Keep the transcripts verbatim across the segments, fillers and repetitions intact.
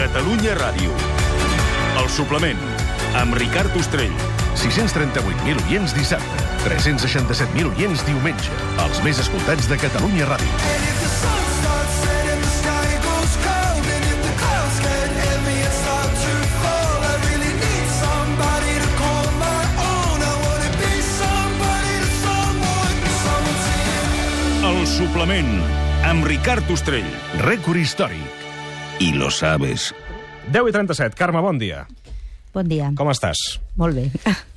Catalunya Ràdio. El suplement, amb Ricard Ostrell. sis-cents trenta-vuit mil oients dissabte, tres-cents seixanta-set mil oients diumenge. Els més escoltats de Catalunya Ràdio. El suplement, amb Ricard Ostrell. Rècord històric. I lo sabes. deu i trenta-set. Carme, bon dia. Bon dia. Com estàs? Molt bé.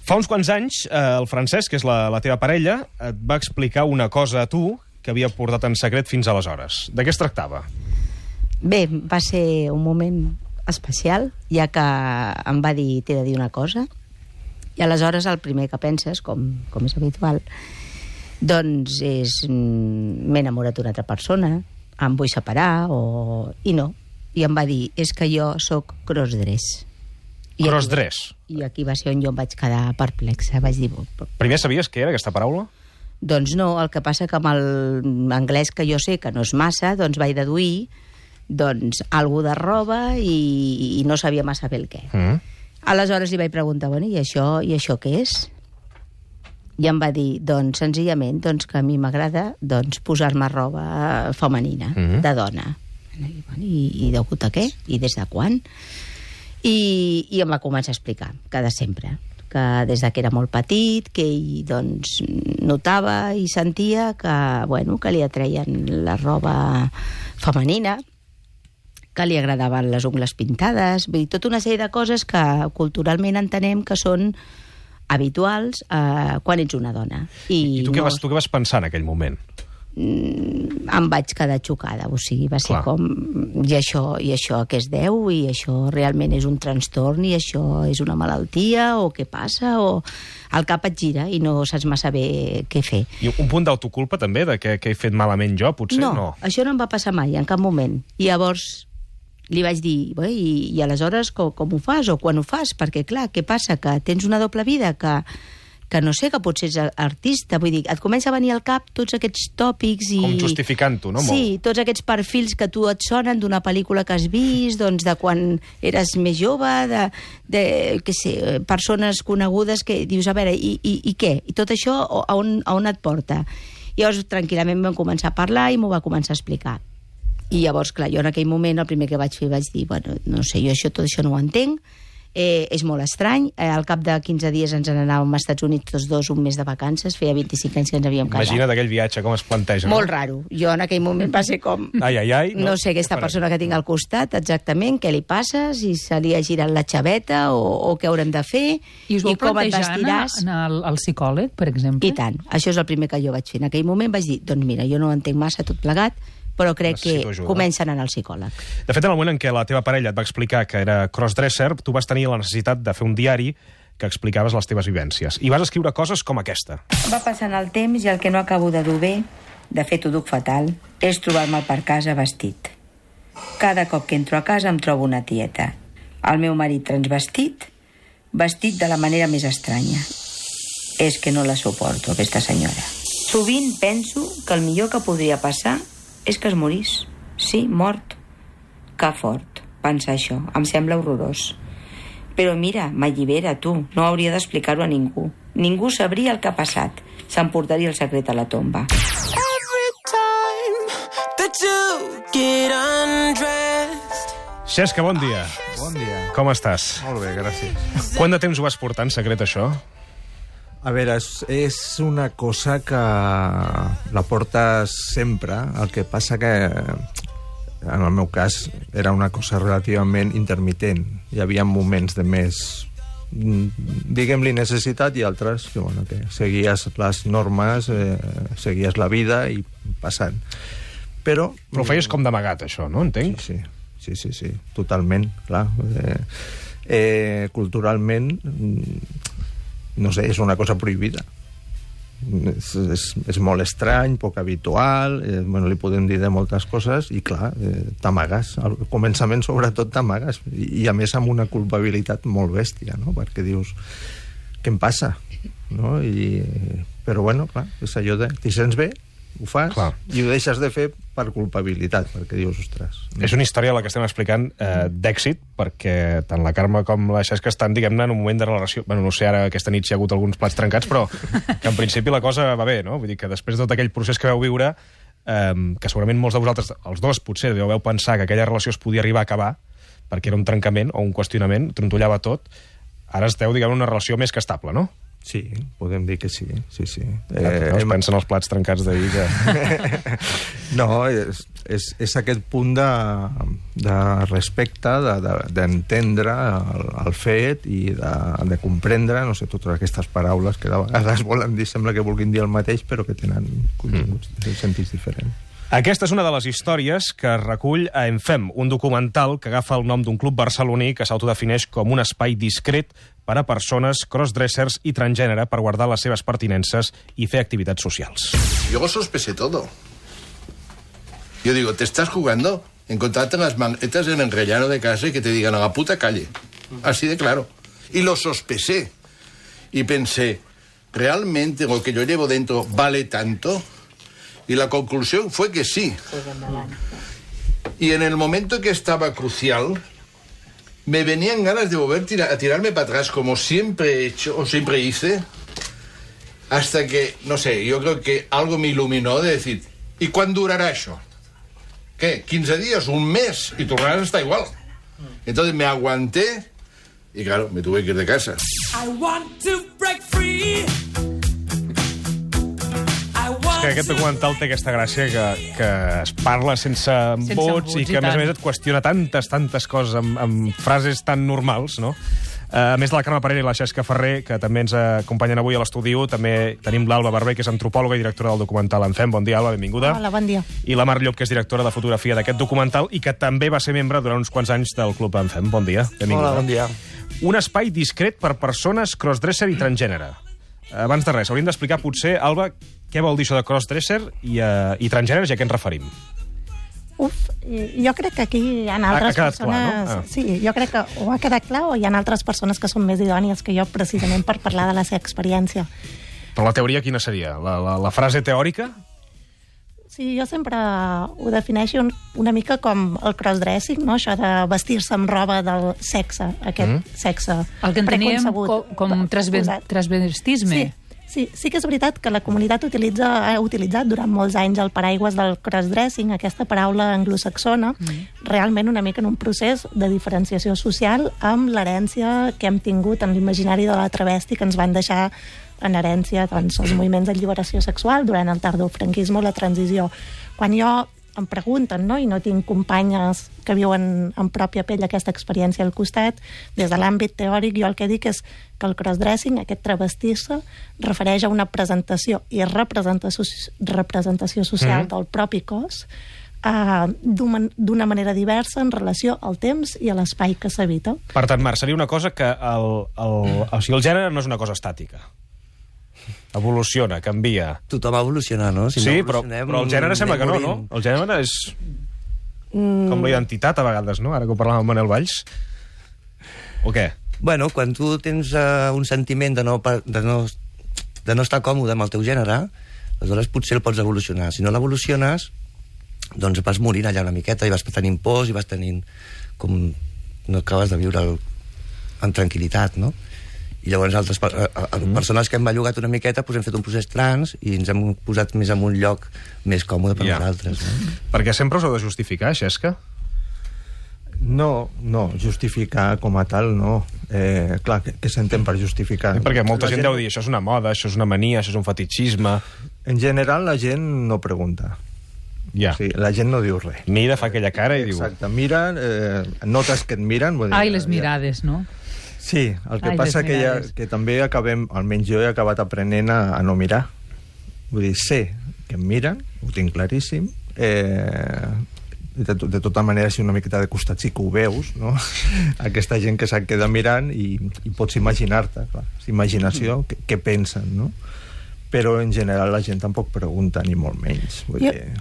Fa uns quants anys, eh, el Francesc, que és la, la teva parella, et va explicar una cosa a tu que havia portat en secret fins aleshores. De què es tractava? Bé, va ser un moment especial, ja que em va dir, t'he de dir una cosa, i aleshores el primer que penses, com, com és habitual, doncs és m'he enamorat d'una altra persona, em vull separar, o... i no. I em va dir, és que jo sóc crossdress. I Crossdress. aquí, I aquí va ser on jo em vaig quedar perplexa. Vaig dir... Primer sabies què era aquesta paraula? Doncs no, el que passa que amb l'anglès que jo sé, que no és massa, doncs vaig deduir doncs, algú de roba i, i no sabia massa bé el què. Mm. Aleshores li vaig preguntar, bueno, i això, i això què és? I em va dir, doncs, senzillament, doncs, que a mi m'agrada doncs, posar-me roba femenina, Mm-hmm. de dona. I, bueno, i, I degut a què? I des de quan? I, i em va començar a explicar, que de sempre, que des de que era molt petit, que ell doncs, notava i sentia que, bueno, que li atreien la roba femenina, que li agradaven les ungles pintades, vull dir, tota una sèrie de coses que culturalment entenem que són habituals eh, quan ets una dona. I, I tu, què no, vas, tu què vas pensar en aquell moment? mm, em vaig quedar xocada, o sigui, va ser Clar. com i això, i això a què es deu, i això realment és un trastorn, i això és una malaltia, o què passa, o el cap et gira i no saps massa bé què fer. I un punt d'autoculpa també, de que, que he fet malament jo, potser? No, No. això no em va passar mai, en cap moment. I llavors li vaig dir, bé, i, i aleshores com, com ho fas, o quan ho fas? Perquè, clar, què passa? Que tens una doble vida, que, que no sé, que potser ets artista, vull dir, et comença a venir al cap tots aquests tòpics i... Com justificant-ho, no? Sí, Molt. tots aquests perfils que tu et sonen d'una pel·lícula que has vist, doncs de quan eres més jove, de, de què sé, persones conegudes que dius, a veure, i, i, i què? I tot això a on, a on et porta? I llavors, tranquil·lament vam començar a parlar i m'ho va començar a explicar. I llavors, clar, jo en aquell moment el primer que vaig fer vaig dir, bueno, no sé, jo això, tot això no ho entenc, eh, és molt estrany, eh, al cap de quinze dies ens n'anàvem als Estats Units tots dos un mes de vacances, feia vint-i-cinc anys que ens havíem casat. Imagina't aquell viatge, com es planteja. Molt no? raro. Jo en aquell moment va ser com... Ai, ai, ai. No, no sé aquesta persona que tinc al costat exactament, què li passa, si se li ha girat la xaveta o, o què haurem de fer, I us vau com et plantejar vestiràs. anar al, al psicòleg, per exemple? I tant. Això és el primer que jo vaig fer. En aquell moment vaig dir, doncs mira, jo no entenc massa tot plegat, però crec Necessito que ajuda. comença a anar al psicòleg. De fet, en el moment en què la teva parella et va explicar que era crossdresser, tu vas tenir la necessitat de fer un diari que explicaves les teves vivències. I vas escriure coses com aquesta. Va passant el temps i el que no acabo de dur bé, de fet ho duc fatal, és trobar-me per casa vestit. Cada cop que entro a casa em trobo una tieta. El meu marit transvestit, vestit de la manera més estranya. És que no la suporto, aquesta senyora. Sovint penso que el millor que podria passar és que es morís. Sí, mort. Que fort, pensar això. Em sembla horrorós. Però mira, m'allibera, tu. No hauria d'explicar-ho a ningú. Ningú sabria el que ha passat. S'emportaria el secret a la tomba. Xesca, bon dia. Bon dia. Com estàs? Molt bé, gràcies. Quant de temps ho vas portar en secret, això? A veure, és, és una cosa que la portes sempre, el que passa que, en el meu cas, era una cosa relativament intermitent. Hi havia moments de més, diguem-li, necessitat i altres que, bueno, que seguies les normes, eh, seguies la vida i passant. Però... Però ho feies com d'amagat, això, no? Entenc? Sí, sí. Sí, sí, sí, totalment, clar. Eh, eh, culturalment, no sé, és una cosa prohibida. És, és, és molt estrany, poc habitual, eh, bueno, li podem dir de moltes coses, i clar, eh, t'amagues. Al començament, sobretot, t'amagues. I, I, a més, amb una culpabilitat molt bèstia, no? Perquè dius, què em passa? No? I, però, bueno, clar, és allò de... T'hi sents bé? ho fas, clar. I ho deixes de fer per culpabilitat, perquè dius, ostres... No. És una història la que estem explicant eh, d'èxit, perquè tant la Carme com la Xesca estan, diguem-ne, en un moment de relació... Bueno, no sé, ara aquesta nit si hi ha hagut alguns plats trencats, però que en principi la cosa va bé, no? Vull dir que després de tot aquell procés que vau viure, eh, que segurament molts de vosaltres, els dos potser, deveu pensar que aquella relació es podia arribar a acabar, perquè era un trencament o un qüestionament, trontollava tot, ara esteu, diguem, en una relació més que estable, no? Sí, podem dir que sí, sí, sí. Ja, eh, no es pensen els plats trencats d'ahir que... No, és, és, és aquest punt de, de respecte, d'entendre de, de, el, el fet i de, de comprendre, no sé, totes aquestes paraules que de vegades volen dir, sembla que vulguin dir el mateix, però que tenen continguts, mm. sentits diferents. Aquesta és una de les històries que recull a En Fem, un documental que agafa el nom d'un club barceloní que s'autodefineix com un espai discret per a persones crossdressers i transgènere per guardar les seves pertinences i fer activitats socials. Yo sospeché todo. Yo digo, ¿te estás jugando? Encontrarte las maletas en el rellano de casa y que te digan a la puta calle. Así de claro. Y lo sospeché. Y pensé, ¿realmente lo que yo llevo dentro vale tanto? Y la conclusión fue que sí. Y en el momento que estaba crucial, me venían ganas de volver tira, a tirarme para atrás, como siempre he hecho, o siempre hice, hasta que, no sé, yo creo que algo me iluminó de decir, ¿y cuándo durará eso? ¿Qué? ¿quince días? ¿Un mes? Y tu rana está igual. Entonces me aguanté y, claro, me tuve que ir de casa. I want to break free. Que aquest documental té aquesta gràcia que, que es parla sense, sense vots, vots i que, a més a més, et qüestiona tantes, tantes coses amb, amb frases tan normals, no? A més de la Carme Parera i la Xesca Ferrer, que també ens acompanyen avui a l'estudi, també tenim l'Alba Barber, que és antropòloga i directora del documental En Fem. Bon dia, Alba, benvinguda. Hola, bon dia. I la Mar Llop, que és directora de fotografia d'aquest documental i que també va ser membre durant uns quants anys del Club En Fem. Bon dia, benvinguda. Hola, bon dia. Un espai discret per persones crossdresser i transgènere. Abans de res, hauríem d'explicar, potser, Alba, què vol dir això de crossdresser i, uh, i transgèneres i a què ens referim? Uf, jo crec que aquí hi ha altres ha persones... Clar, no? ah. Sí, jo crec que o ha quedat clar o hi ha altres persones que són més idònies que jo precisament per parlar de la seva experiència. Però la teoria quina seria? La, la, la frase teòrica? Sí, jo sempre ho defineixo una mica com el crossdressing, no? Això de vestir-se amb roba del sexe, aquest mm. sexe el que enteníem com, com transvestisme. Sí. Sí, sí que és veritat que la comunitat utilitza, ha utilitzat durant molts anys el paraigües del crossdressing, aquesta paraula anglosaxona, mm. realment una mica en un procés de diferenciació social amb l'herència que hem tingut en l'imaginari de la travesti que ens van deixar en herència doncs, els moviments d'alliberació sexual durant el tardofranquisme o la transició. Quan jo em pregunten, no? I no tinc companyes que viuen en pròpia pell aquesta experiència al costat, des de l'àmbit teòric jo el que dic és que el crossdressing, aquest travestir-se, refereix a una presentació i representació, representació social mm. del propi cos uh, d'una manera diversa en relació al temps i a l'espai que s'habita. Per tant, Marc, seria una cosa que el, el, o sigui, el gènere no és una cosa estàtica. Evoluciona, canvia. Tothom evoluciona, no? Si sí, no però, però el gènere sembla que no, no? El gènere és mm. com la identitat, a vegades, no? Ara que ho parlàvem amb Manel Valls. O què? Bueno, quan tu tens uh, un sentiment de no, de, no, de no estar còmode amb el teu gènere, aleshores potser el pots evolucionar. Si no l'evoluciones, doncs vas morint allà una miqueta i vas tenint pors i vas tenint com no acabes de viure el, en tranquil·litat, no? I llavors altres per, a, a, mm. persones que hem bellugat una miqueta doncs hem fet un procés trans i ens hem posat més en un lloc més còmode per yeah. nosaltres. No? Perquè sempre us heu de justificar, Xesca? No, no, justificar com a tal, no. Eh, clar, què, què s'entén per justificar? Sí, perquè molta gent, gent deu dir, això és una moda, això és una mania, això és un fetichisme... En general, la gent no pregunta. Ja. O sigui, la gent no diu res. Mira, fa aquella cara i Exacte, diu... Exacte, miren, eh, notes que et miren... Vull dir, Ai, les mirades, ja. No? Sí, el que Ai, passa que, ja, que també acabem, almenys jo he acabat aprenent a, a no mirar. Vull dir, sé que em miren, ho tinc claríssim, eh, de, de tota manera, si una miqueta de costat sí que ho veus, no? Aquesta gent que se't queda mirant i, i pots imaginar-te, clar, imaginació, què, què pensen, no? Però en general la gent tampoc pregunta, ni molt menys. Vull jo, dir...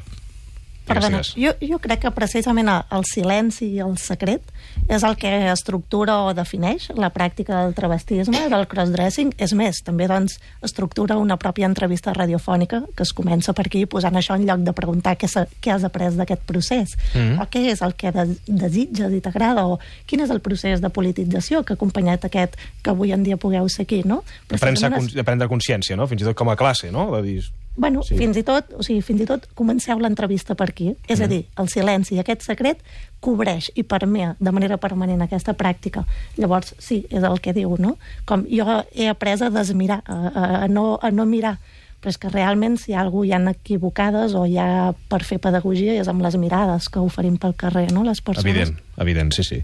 Perdona, jo, jo crec que precisament el silenci i el secret és el que estructura o defineix la pràctica del travestisme, del crossdressing. És més, també doncs, estructura una pròpia entrevista radiofònica que es comença per aquí posant això en lloc de preguntar què, què has après d'aquest procés, mm-hmm. o què és el que de, desitges i t'agrada, o quin és el procés de politització que ha acompanyat aquest que avui en dia pugueu ser aquí, no? De prendre, de prendre consciència, no? Fins i tot com a classe, no? De dir... Bueno, sí. fins i tot, o sigui, fins i tot comenceu l'entrevista per aquí. És mm. a dir, el silenci i aquest secret cobreix i permea de manera permanent aquesta pràctica. Llavors, sí, és el que diu, no? Com jo he après a desmirar, a, a, a, no, a no mirar, però és que realment si hi ha alguna hi ha equivocades o hi ha per fer pedagogia és amb les mirades que oferim pel carrer, no?, les persones. Evident, evident, sí, sí.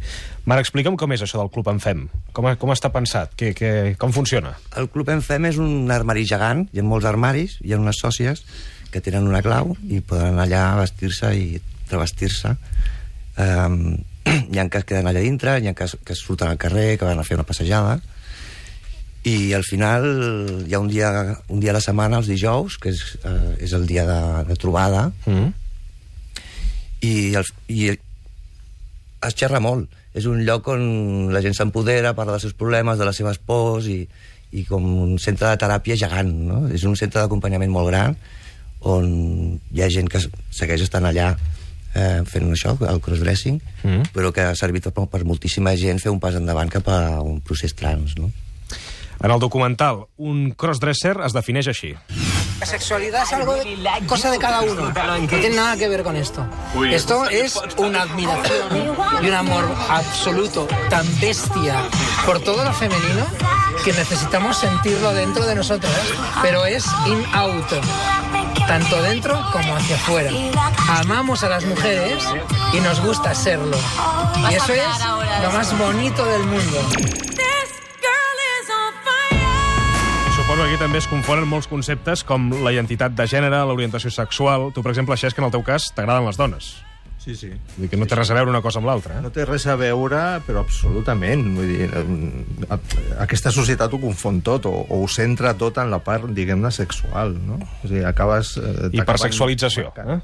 Marc, explica'm com és això del Club en Fem. Com, com està pensat? Que, que, com funciona? El Club en Fem és un armari gegant, hi ha molts armaris, hi ha unes sòcies que tenen una clau i poden anar allà a vestir-se i travestir-se. Um, hi ha que es queden allà dintre, hi ha que, que surten al carrer, que van a fer una passejada, i al final hi ha un dia, un dia a la setmana, els dijous, que és, eh, és el dia de, de trobada, mm. i, el, i es xerra molt. És un lloc on la gent s'empodera, parla dels seus problemes, de les seves pors, i, i com un centre de teràpia gegant, no? És un centre d'acompanyament molt gran, on hi ha gent que segueix estant allà eh, fent això, el crossdressing, mm. però que ha servit per, per moltíssima gent fer un pas endavant cap a un procés trans, no? En el documental, un crossdresser es defineix així. La sexualidad es algo de, cosa de cada uno. No tiene nada que ver con esto. Esto es una admiración y un amor absoluto, tan bestia por todo lo femenino que necesitamos sentirlo dentro de nosotros, pero es in auto, tanto dentro como hacia afuera. Amamos a las mujeres y nos gusta serlo. Y eso es lo más bonito del mundo. Suposo que aquí també es confonen molts conceptes com la identitat de gènere, l'orientació sexual. Tu, per exemple, això és que en el teu cas t'agraden les dones. Sí, sí. Vull dir que no té res a veure una cosa amb l'altra. Eh? No té res a veure, però absolutament. Vull dir, aquesta societat ho confon tot, o, o ho centra tot en la part, diguem-ne, sexual, no? O sigui, acabes... Eh, Hipersexualització, eh?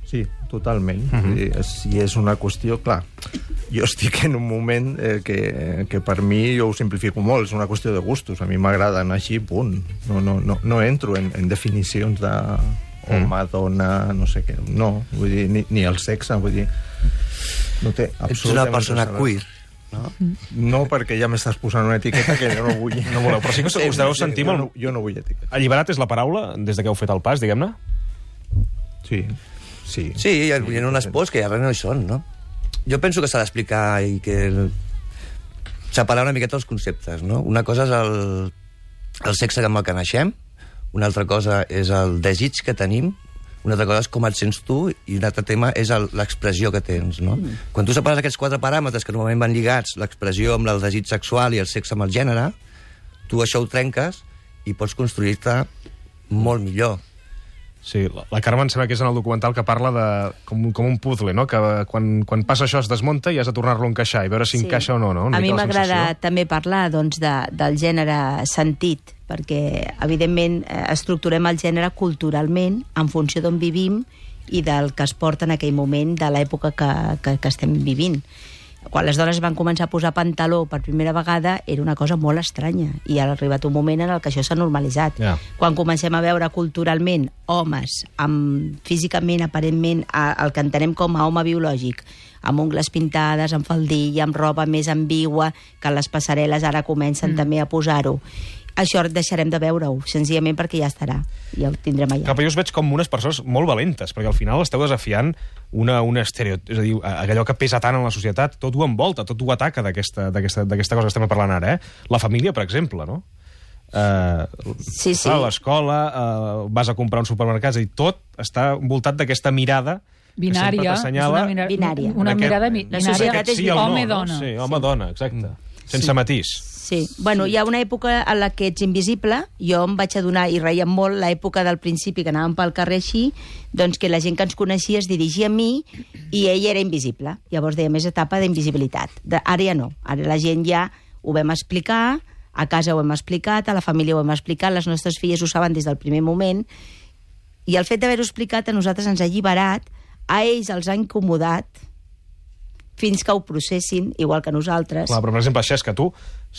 Sí, totalment. Uh-huh. I és, I és una qüestió, clar, jo estic en un moment eh, que, que per mi jo ho simplifico molt, és una qüestió de gustos. A mi m'agrada anar així, punt. No, no, no, no entro en, en definicions de home, mm. dona, no sé què. No, vull dir, ni, ni el sexe, vull dir... No té absolutament... Ets una persona queer, no? No, perquè ja m'estàs posant una etiqueta que jo no vull. No voleu, però sí que us deveu sentir jo molt... No, jo no vull etiqueta. Alliberat és la paraula, des de que heu fet el pas, diguem-ne? Sí. Sí, sí, hi ha, hi ha unes pors que ja res no hi són, no? Jo penso que s'ha d'explicar i que separar una miqueta els conceptes, no? Una cosa és el, el sexe amb el que naixem, una altra cosa és el desig que tenim, una altra cosa és com et sents tu, i un altre tema és l'expressió que tens, no? Mm. Quan tu separes aquests quatre paràmetres que normalment van lligats, l'expressió amb el desig sexual i el sexe amb el gènere, tu això ho trenques i pots construir-te molt millor. Sí, la Carme em sembla que és en el documental que parla de com, com un puzzle, no? Que quan, quan passa això es desmunta i has de tornar-lo a encaixar i veure si sí. encaixa o no, no? Una a mi m'agrada també parlar doncs, de, del gènere sentit, perquè evidentment estructurem el gènere culturalment en funció d'on vivim i del que es porta en aquell moment de l'època que, que, que estem vivint. Quan les dones van començar a posar pantaló per primera vegada era una cosa molt estranya i ha arribat un moment en el que això s'ha normalitzat. Yeah. Quan comencem a veure culturalment homes amb, físicament, aparentment, el que entenem com a home biològic, amb ungles pintades, amb faldilla, amb roba més ambigua, que les passarel·les ara comencen mm. també a posar-ho. Això deixarem de veure-ho, senzillament perquè ja estarà, ja ho tindrem allà. Clar, però jo us veig com unes persones molt valentes, perquè al final esteu desafiant una, una estereotip, és a dir, allò que pesa tant en la societat, tot ho envolta, tot ho ataca d'aquesta cosa que estem parlant ara, eh? La família, per exemple, no? Uh, sí, sí. A l'escola, uh, vas a comprar un supermercat, és a dir, tot està envoltat d'aquesta mirada binària, que sempre t'assenyala... Una, binària. una aquest, mirada binària. La societat és sí, home-dona. No? Sí, home-dona, exacte. Sense sí. matís. Sí, bueno, hi ha una època en la que ets invisible, jo em vaig adonar, i reiem molt, l'època del principi que anàvem pel carrer així, doncs que la gent que ens coneixia es dirigia a mi i ell era invisible. Llavors deia més etapa d'invisibilitat. Ara ja no, ara la gent ja ho vam explicar, a casa ho hem explicat, a la família ho hem explicat, les nostres filles ho saben des del primer moment, i el fet d'haver-ho explicat a nosaltres ens ha alliberat a ells els ha incomodat fins que ho processin, igual que nosaltres. Clar, però per exemple, Xesca, tu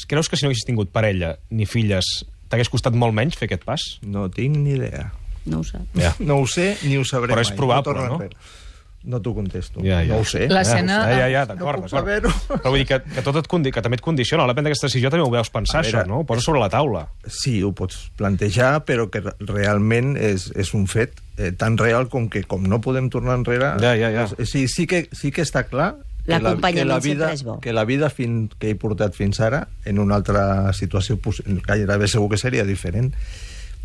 creus que si no haguessis tingut parella ni filles t'hagués costat molt menys fer aquest pas? No tinc ni idea. No ho sap. Ja. No ho sé ni ho sabré Però és mai. probable, no? no? No t'ho contesto. Ja, ja. No ho sé. L'escena... Ja, ja, ja, d'acord, No puc d'acord. saber-ho. Però vull dir que, que tot et condi que també et condiciona. A la prendre aquesta decisió també ho veus pensar, A veure, això, no? Ho poses sobre la taula. Sí, ho pots plantejar, però que realment és, és un fet eh, tan real com que com no podem tornar enrere... Ja, ja, ja. Eh, sí, sí, que, sí que està clar que la, que la vida, és bo. que la vida fin, que he portat fins ara, en una altra situació, gairebé segur que seria diferent,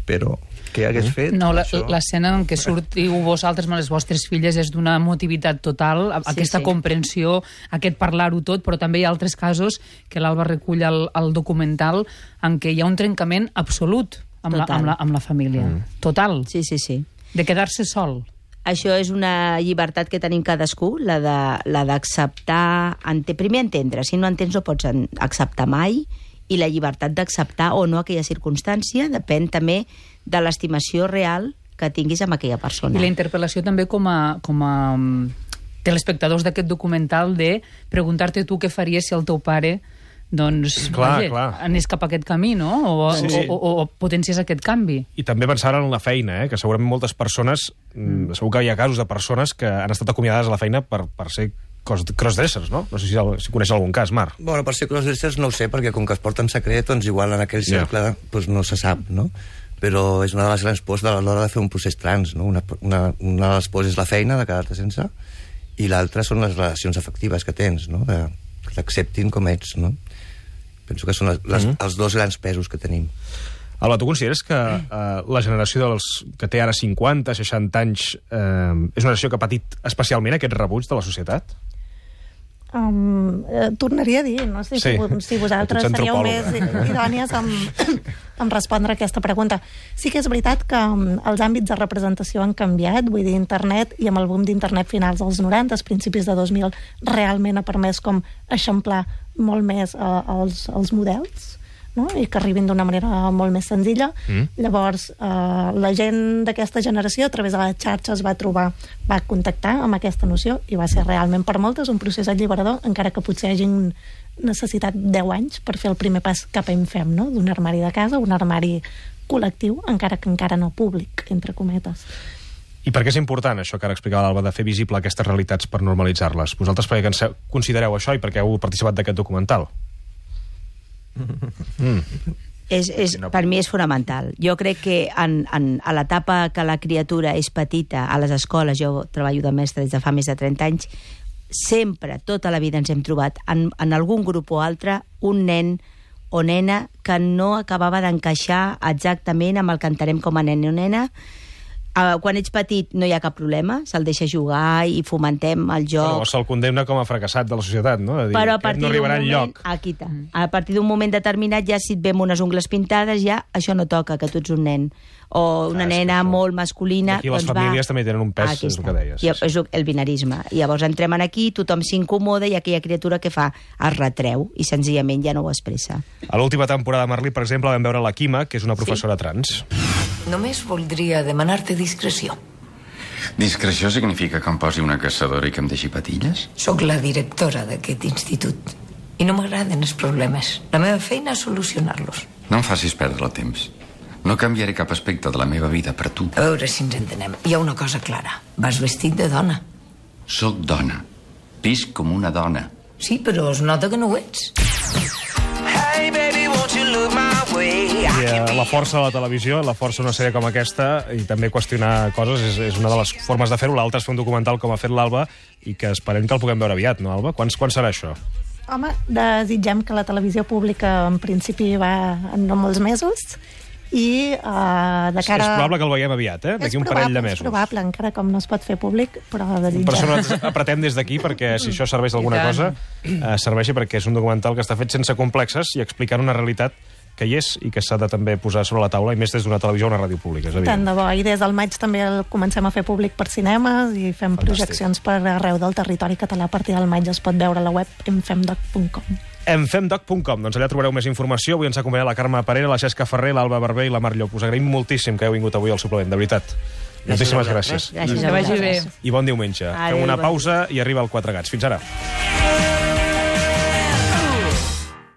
però què hagués fet? No, això... l'escena en què sortiu vosaltres amb les vostres filles és d'una emotivitat total, sí, aquesta sí. comprensió, aquest parlar-ho tot, però també hi ha altres casos que l'Alba recull al, al documental en què hi ha un trencament absolut amb, la, amb, la, amb la família. Mm. Total. Sí, sí, sí. De quedar-se sol. Això és una llibertat que tenim cadascú, la de la d'acceptar... Ente, primer entendre, si no entens no pots acceptar mai, i la llibertat d'acceptar o no aquella circumstància depèn també de l'estimació real que tinguis amb aquella persona. I la interpel·lació també com a, com a um, telespectadors d'aquest documental de preguntar-te tu què faries si el teu pare doncs, clar, vaja, clar. anés cap a aquest camí, no? O, sí, sí. o, o, o potencies aquest canvi. I també pensar en la feina, eh? Que segurament moltes persones, mm. segur que hi ha casos de persones que han estat acomiadades a la feina per, per ser crossdressers, no? No sé si, si coneix algun cas, Marc. Bueno, per ser crossdressers no ho sé, perquè com que es porten secret, doncs igual en aquell cercle yeah. doncs no se sap, no? Però és una de les grans pors a l'hora de fer un procés trans, no? Una, una, una de les pors és la feina, de quedar-te sense, i l'altra són les relacions afectives que tens, no? De, que t'acceptin com ets, no? Penso que són les, les, mm-hmm. els dos grans pesos que tenim. Alba, tu consideres que eh, la generació dels que té ara cinquanta, seixanta anys eh, és una generació que ha patit especialment aquest rebuig de la societat? Um, eh, tornaria a dir, no sé sí. si, si vosaltres seríeu més idònies amb, amb respondre a aquesta pregunta. Sí que és veritat que um, els àmbits de representació han canviat, vull dir, internet, i amb el boom d'internet finals dels noranta, principis de dos mil, realment ha permès com eixamplar molt més uh, els, els models, no? I que arribin d'una manera molt més senzilla. Mm. Llavors, eh, la gent d'aquesta generació, a través de les xarxes, va trobar, va contactar amb aquesta noció, i va ser realment per moltes un procés alliberador, encara que potser hagin necessitat deu anys per fer el primer pas cap a Infem, no? D'un armari de casa, un armari col·lectiu, encara que encara no públic, entre cometes. I per què és important això que ara explicava l'Alba, de fer visible aquestes realitats per normalitzar-les? Vosaltres per què considereu això i per què heu participat d'aquest documental? Mm. És, és, per mi és fonamental. Jo crec que en, en, a l'etapa que la criatura és petita, a les escoles, jo treballo de mestre des de fa més de trenta anys, sempre, tota la vida ens hem trobat en, en algun grup o altre un nen o nena que no acabava d'encaixar exactament amb el que entenem com a nen o nena. Uh, quan ets petit no hi ha cap problema, se'l deixa jugar i fomentem el joc. Però se'l condemna com a fracassat de la societat, no? De dir, però a partir no arribarà d'un moment, aquí està. A partir d'un moment determinat, ja si et ve amb unes ungles pintades, ja això no toca, que tu ets un nen. O una ah, nena molt masculina. Aquí les doncs famílies va... també tenen un pes, aquí és el que deies. I és el binarisme. I llavors entrem aquí, tothom s'incomoda i aquella criatura que fa es retreu i senzillament ja no ho expressa. A l'última temporada de Merlí, per exemple, vam veure la Quima, que és una professora sí. trans. Només voldria demanar-te discreció. Discreció significa que em posi una caçadora i que em deixi patilles? Soc la directora d'aquest institut i no m'agraden els problemes. La meva feina és solucionar-los. No em facis perdre el temps. No canviaré cap aspecte de la meva vida per tu. A veure si ens entenem. Hi ha una cosa clara. Vas vestit de dona. Soc dona. Visc com una dona. Sí, però es nota que no ho ets. Hey, baby, won't you look my way? I eh, la força de la televisió, la força d'una sèrie com aquesta, i també qüestionar coses, és, és una de les formes de fer-ho. L'altra és fer un documental com ha fet l'Alba, i que esperem que el puguem veure aviat, no, Alba? Quan, quan serà això? Home, desitgem que la televisió pública en principi va en no molts mesos, i uh, de cara... És probable que el veiem aviat, eh? D'aquí un parell de mesos. És probable, encara com no es pot fer públic, però desitgem. Per això nosaltres apretem des d'aquí, perquè si això serveix d'alguna cosa, eh, serveixi perquè és un documental que està fet sense complexes i explicant una realitat que hi és i que s'ha de també posar sobre la taula, i més des d'una televisió o una ràdio pública, és evident. Tant de bo, i des del maig també el comencem a fer públic per cinemes i fem Fantàstic. projeccions per arreu del territori català. A partir del maig es pot veure a la web enfemdoc punt com. enfemdoc punt com, doncs allà trobareu més informació. Avui ens ha acompanyat la Carme Parera, la Xesca Ferrer, l'Alba Barber i la Mar Llop. Us agraïm moltíssim que heu vingut avui al suplement, de veritat. Moltíssimes gràcies. Gràcies Que vagi bé. I bon diumenge. Adéu, Fem una bon pausa i arriba el Quatre Gats. Fins ara.